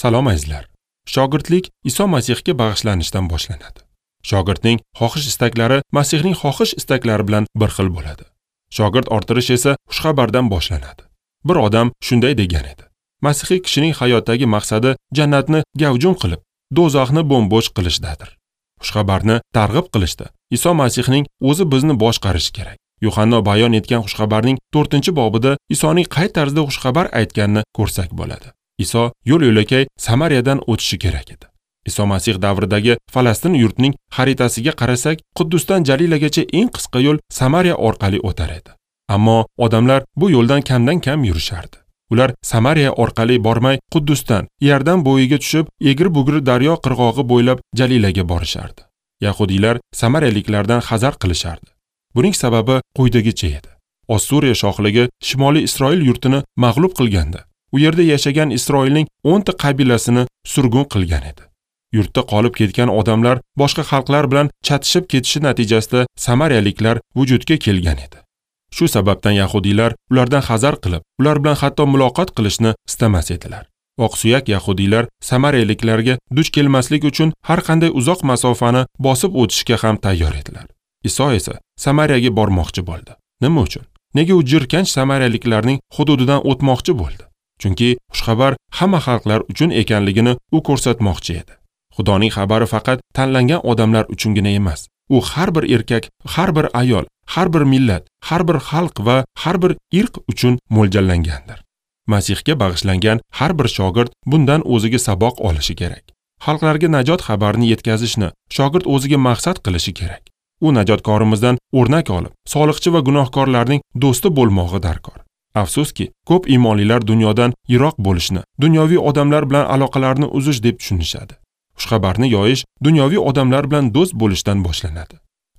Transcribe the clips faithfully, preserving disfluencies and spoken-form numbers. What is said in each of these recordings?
Salom azizlar. Shogirdlik Iso Masihga bag'ishlanishdan boshlanadi. Shogirdning xohish istaklari Masihning xohish istaklari bilan bir xil bo'ladi. Shogird orttirish esa xushxabardan boshlanadi. Bir odam shunday degan edi: Masihiy kishining hayotdagi maqsadi jannatni gavjum qilib, do'zaxni bo'm-bo'sh qilishdadir. Xushxabarni targ'ib qilishda Iso Masihning o'zi bizni boshqarishi kerak. Yuhanno bayon etgan xushxabarning to'rtinchi bobida Isoning qay tarzda xushxabar aytganini ko'rsak bo'ladi. Iso yo'l-yo'lakay Samariyadan o'tishi kerak edi. Iso Masih davridagi Falastin yurtining xaritasiga qarasak, Quddusdan Jalilagacha eng qisqa yo'l Samariya orqali o'tar edi. Ammo odamlar bu yo'ldan kamdan-kam yurishardi. Ular Samariya orqali bormay, Quddusdan Iordan bo'yiga tushib, egri-bugri daryo qirg'og'i bo'ylab Jalilaga borishardi. Yahudiylar samariyaliklardan hazar qilishardi. Buning sababi quyidagicha edi. Ossuriya shohligi Shimoliy Isroil yurtini mag'lub qilganda, u yerda yashagan Isroilning o'nta qabilasini surgun qilgan edi. Yurtda qolib ketgan odamlar boshqa xalqlar bilan chatishib ketishi natijasida samariyaliklar vujudga kelgan edi. Shu sababdan yahudiylar ulardan hazar qilib, ular bilan hatto muloqot qilishni istamas edilar. Oqsuyak yahudiylar samariyaliklarga duch kelmaslik uchun har qanday uzoq masofani bosib o'tishga ham tayyor edilar. Iso esa Samariyaga bormoqchi bo'ldi. Nima uchun? Nega u jirkanch samariyaliklarning hududidan o'tmoqchi bo'ldi? Chunki xushxabar hamma xalqlar uchun ekanligini u ko'rsatmoqchi edi. Xudoning xabari faqat tanlangan odamlar uchungina emas. U har bir erkak, har bir ayol, har bir millat, har bir xalq va har bir irq uchun mo'ljallangandir. Masihga bag'ishlangan har bir shogird bundan o'ziga saboq olishi kerak. Xalqlarga najot xabarini yetkazishni shogird o'ziga maqsad qilishi kerak. U najotkorimizdan o'rnak olib, soliqchi va gunohkorlarning do'sti bo'lmog'i darkor. Afsuski, ko'p iymonlilar dunyodan yiroq bo'lishni, dunyoviy odamlar bilan aloqalarni uzish deb tushunishadi. Xushxabarni yoyish dunyoviy odamlar bilan do'st bo'lishdan boshlanadi.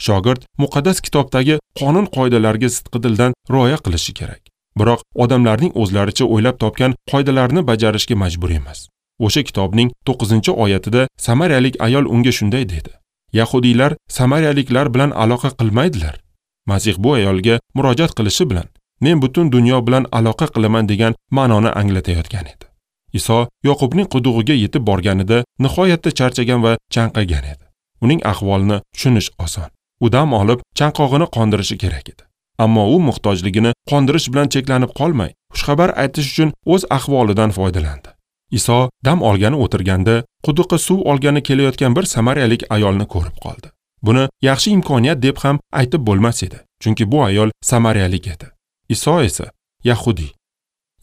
Shogird muqaddas kitobdagi qonun-qoidalarga sidqidildan rioya qilishi kerak. Biroq odamlarning o'zlaricha o'ylab topgan qoidalarni bajarishga majbur emas. O'sha kitobning to'qqizinchi oyatida samariyalik ayol unga shunday dedi: Yahudiylar samariyaliklar bilan aloqa qilmaydilar. Masih bu ayolga murojaat qilishi bilan men butun dunyo bilan aloqa qilaman degan ma'noni anglatayotgan edi. Iso Yoqubning qudug'iga yetib borganida nihoyatda charchagan va chanqagan edi. Uning ahvolini tushunish oson. U dam olib, chanqog'ini qondirishi kerak edi. Ammo u muhtojligini qondirish bilan cheklanib qolmay, xushxabar aytish uchun o'z ahvolidan foydalandi. Iso dam olgani o'tirganda, quduqqa suv olgani kelayotgan bir samariyalik ayolni ko'rib qoldi. Buni yaxshi imkoniyat deb ham aytib bo'lmas edi, chunki bu ayol samariyalik edi. Iso esa yahudiy.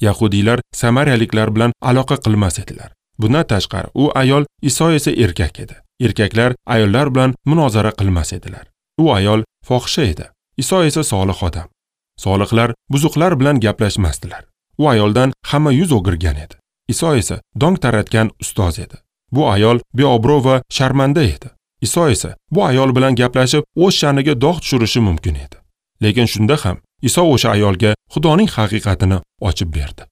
Yahudiylar samariyaliklar bilan aloqa qilmas edilar. Bundan tashqari, u ayol, Iso esa erkak edi. Erkaklar ayollar bilan munozara qilmas edilar. U ayol fohisha edi. Iso esa solih odam. Solihlar buzuqlar bilan gaplashmasdilar. U ayoldan hamma yuz o'girgan edi. Iso esa dong taratgan ustoz edi. Bu ayol beobro' va sharmanda edi. Iso esa bu ayol bilan gaplashib, o'z sha'niga dog' tushirishi mumkin edi. Lekin shunda ham Iso o'sha ayolga Xudoning haqiqatini ochib berdi.